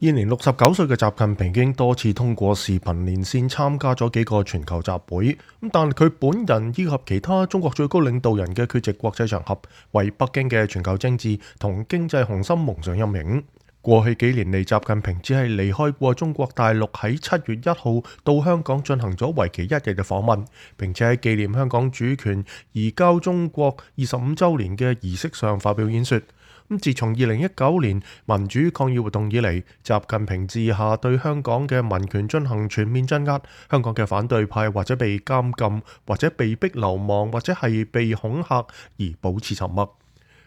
現年69歲嘅習近平已經多次通過視頻連線參加咗幾個全球集會，但佢本人以及其他中國最高領導人嘅缺席國際場合，為北京嘅全球政治同經濟雄心蒙上陰影。過去幾年嚟，習近平只係離開過中國大陸，喺7月1號到香港進行咗為期1日嘅訪問，並且喺紀念香港主權移交中國25週年嘅儀式上發表演說。自從2019年民主抗議活動以嚟，習近平治下對香港嘅民權進行全面鎮壓，香港嘅反對派或者被監禁，或者被逼流亡，或者係被恐嚇而保持沉默。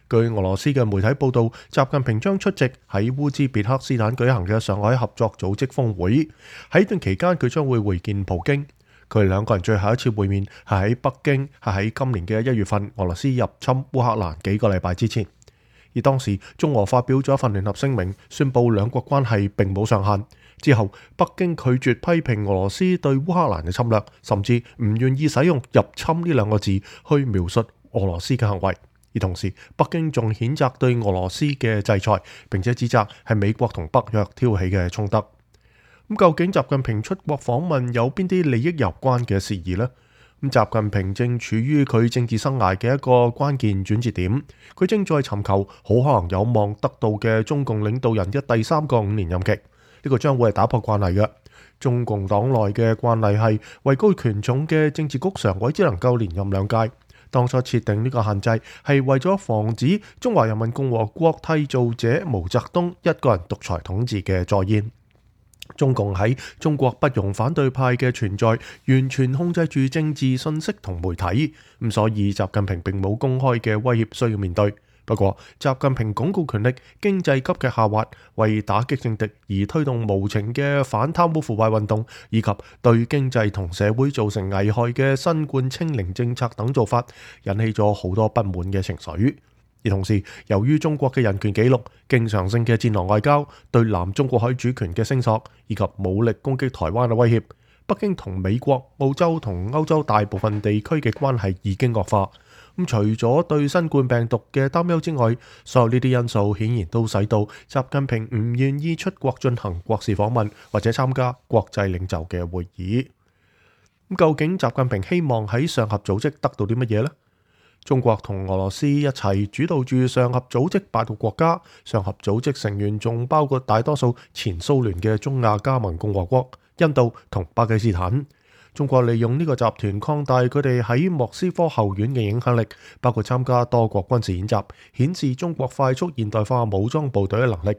據俄羅斯嘅媒體報道，習近平將出席喺烏茲別克斯坦舉行嘅上海合作組織峰會，喺段期間佢將會會見普京。佢哋兩個人最後一次會面係喺北京，係喺今年嘅1月份俄羅斯入侵烏克蘭幾個禮拜之前。而當時中俄發表咗一份聯合聲明，宣布兩國關係並冇上限。之後北京拒絕批評俄羅斯對烏克蘭嘅侵略，甚至唔願意使用入侵呢兩個字去描述俄羅斯嘅行為。而同時北京仲譴責對俄羅斯嘅制裁，並且指責係美國同北約挑起嘅衝突。究竟習近平出國訪問有邊啲利益有關嘅事宜呢？習近平正處於佢政治生涯嘅一個關鍵轉折點，佢正在尋求好可能有望得到嘅中共領導人嘅第3個5年任期。呢個將會係打破慣例嘅。中共黨內嘅慣例係位高權重嘅政治局常委只能夠連任2屆。當初設定呢個限制係為咗防止中華人民共和國締造者毛澤東一個人獨裁統治嘅再現。中共喺中國不容反對派嘅存在，完全控制住政治信息同媒體，所以習近平並冇公開嘅威脅需要面對。不過習近平鞏固權力，經濟急劇下滑，為打擊政敵而推動無情嘅反貪污腐敗運動，以及對經濟同社會造成危害嘅新冠清零政策等做法，引起咗好多不滿嘅情緒。而同時，由於中國嘅人權紀錄、經常性嘅戰狼外交、對南中國海主權嘅聲索，以及武力攻擊台灣嘅威脅，北京同美國、澳洲同歐洲大部分地區嘅關係已經惡化。除咗對新冠病毒嘅擔憂之外，所有呢啲因素顯然都使到習近平唔願意出國進行國事訪問，或者參加國際領袖嘅會議。究竟習近平希望喺上合組織得到啲乜嘢呢？中國同俄羅斯一齊主導住上合組織8個國家，上合組織成員仲包括大多數前蘇聯嘅中亞加盟共和國、印度同巴基斯坦。中國利用呢個集團擴大佢哋喺莫斯科後院嘅影響力，包括參加多國軍事演習，顯示中國快速現代化武裝部隊嘅能力。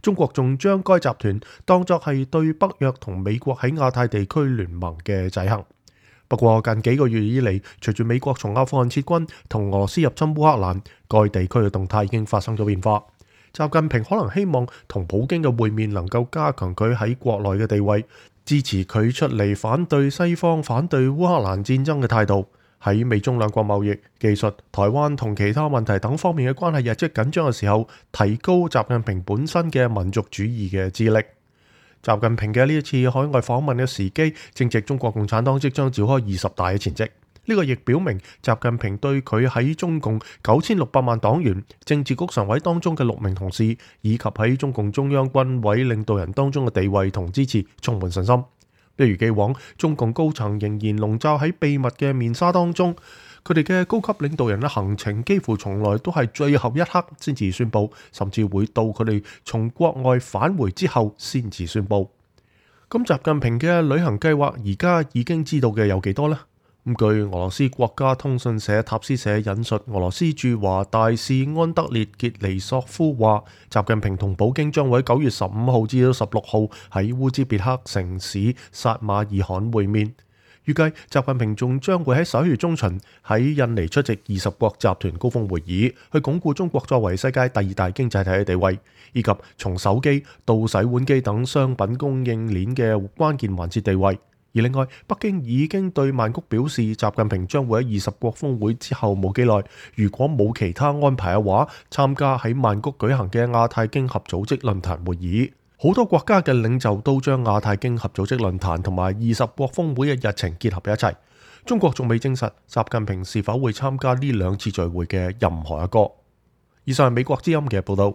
中國仲將該集團當作係對北約同美國喺亞太地區聯盟嘅制衡。不過近幾個月以嚟，隨住美國從阿富汗撤軍同俄羅斯入侵烏克蘭，該地區嘅動態已經發生咗變化。習近平可能希望同普京嘅會面能夠加強佢喺國內嘅地位，支持佢出嚟反對西方、反對烏克蘭戰爭嘅態度。喺美中兩國貿易、技術、台灣同其他問題等方面嘅關係日益緊張嘅時候，提高習近平本身嘅民族主義嘅智力。習近平嘅呢一次海外訪問嘅時機，正值中國共產黨即將召開20大嘅前夕。呢個亦表明習近平對佢喺中共9600萬黨員、政治局常委當中嘅6名同事，以及喺中共中央軍委領導人當中嘅地位同支持充滿信心。一如既往，中共高層仍然籠罩喺秘密嘅面紗當中，佢哋嘅高級領導人嘅行程幾乎從來都係最後一刻先至宣佈，甚至會到佢哋從國外返回之後先至宣佈。咁習近平嘅旅行計劃而家已經知道嘅有幾多呢？據俄羅斯國家通訊社塔斯社引述俄羅斯駐華大使安德烈傑尼索夫話，習近平同普京將會喺9月15號至到16號喺烏茲別克城市薩馬爾罕會面。預計習近平仲將會喺11月中旬喺印尼出席20國集團高峰會議，去鞏固中國作為世界第2大經濟體嘅地位，以及從手機到洗碗機等商品供應鏈嘅關鍵環節地位。而另外，北京已經對曼谷表示，習近平將會喺20國峰會之後冇幾耐，如果冇其他安排嘅話，參加喺曼谷舉行嘅亞太經合組織論壇會議。好多國家嘅領袖都將亞太經合組織論壇同埋20國峰會嘅日程結合喺一齊。中國仲未證實習近平是否會參加呢2次聚會嘅任何一個。以上係美國之音嘅報道。